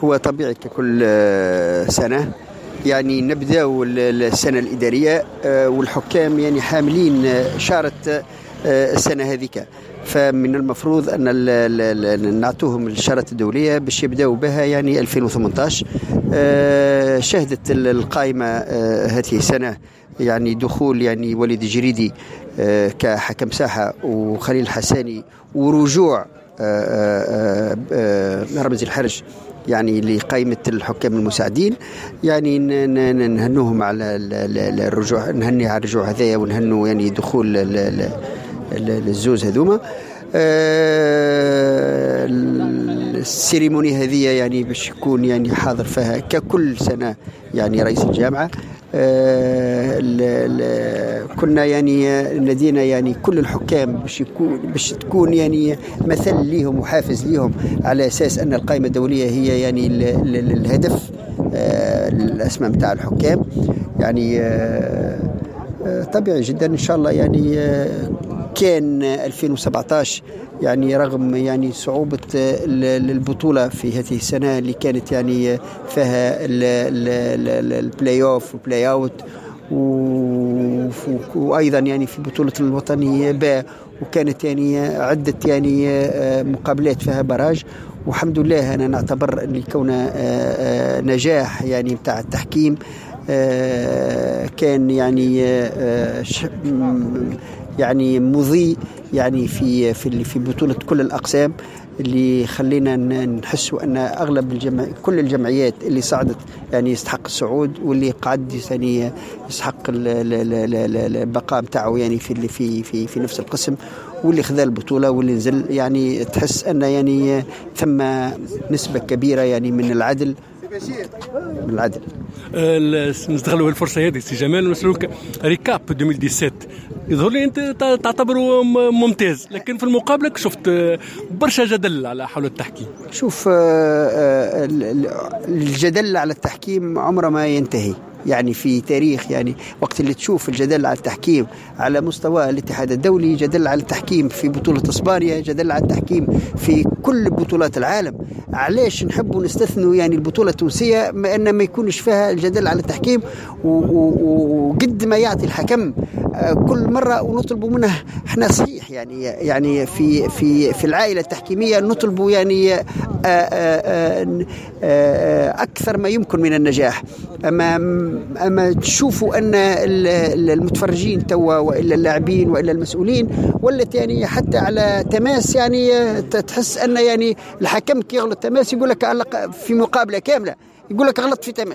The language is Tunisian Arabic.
هو طبيعي ككل سنة، يعني نبداو السنة الادارية والحكام يعني حاملين شارة السنة هذيك، فمن المفروض ان نعطوهم الشارة الدولية باش يبداو بها يعني 2018. شهدت القائمة هذه السنة يعني دخول يعني وليد الجريدي كحكم ساحة وخليل الحساني ورجوع رمزي الحرج يعني لقائمة الحكام المساعدين. يعني نهنوهم على الرجوع، نهني على الرجوع هذايا ونهنوا يعني دخول الزوز هذوما. ال cérémonie هذه يعني باش يكون يعني حاضر فيها ككل سنة يعني رئيس الجامعة. كنا يعني نادينا يعني كل الحكام باش تكون يعني مثل ليهم وحافز ليهم، على اساس ان القائمة الدولية هي يعني الهدف الاسمى نتاع الحكام. يعني طبيعي جدا ان شاء الله. يعني كان 2017 يعني رغم يعني صعوبة البطولة في هذه السنة اللي كانت يعني فيها ال play-off وال play-out وأيضا يعني في بطولة الوطنية باء، وكانت يعني عدة يعني مقابلات فيها barrage. والحمد لله أنا نعتبر أن كون نجاح يعني بتاع التحكيم كان يعني يعني مضيء يعني في في في بطولة كل الأقسام، اللي خلينا نحسوا أن أغلب كل الجمعيات اللي صعدت يعني يستحق الصعود، واللي قعد يعني يستحق البقاء نتاعو يعني في في في في نفس القسم، واللي خذا البطولة واللي نزل. يعني تحس أن يعني ثم نسبة كبيرة يعني من العدل، من العدل. نستغلوا الفرصة هذه سي جمال ونسألوك récap 2017، يظهر لي انت تعتبره ممتاز، لكن في المقابلة شفت برشا جدل على حول التحكيم. شوف، الجدل على التحكيم عمره ما ينتهي، يعني في تاريخ يعني وقت اللي تشوف الجدل على التحكيم على مستوى الاتحاد الدولي، جدل على التحكيم في بطولة اسبانيا، جدل على التحكيم في كل بطولات العالم. علاش نحبوا نستثنوا يعني البطولة التونسية ما أن ما يكونش فيها الجدل على التحكيم؟ وقد ما يعطي الحكم كل مرة ونطلبوا منه احنا صحيح يعني في في في العائلة التحكيمية نطلبوا يعني أكثر ما يمكن من النجاح. اما تشوفوا ان المتفرجين توا والا اللاعبين والا المسؤولين ولت يعني حتى على تماس، يعني تحس ان يعني الحكم كي يغلط تماس يقول لك في مقابله كاملة يقول لك غلط في تماس.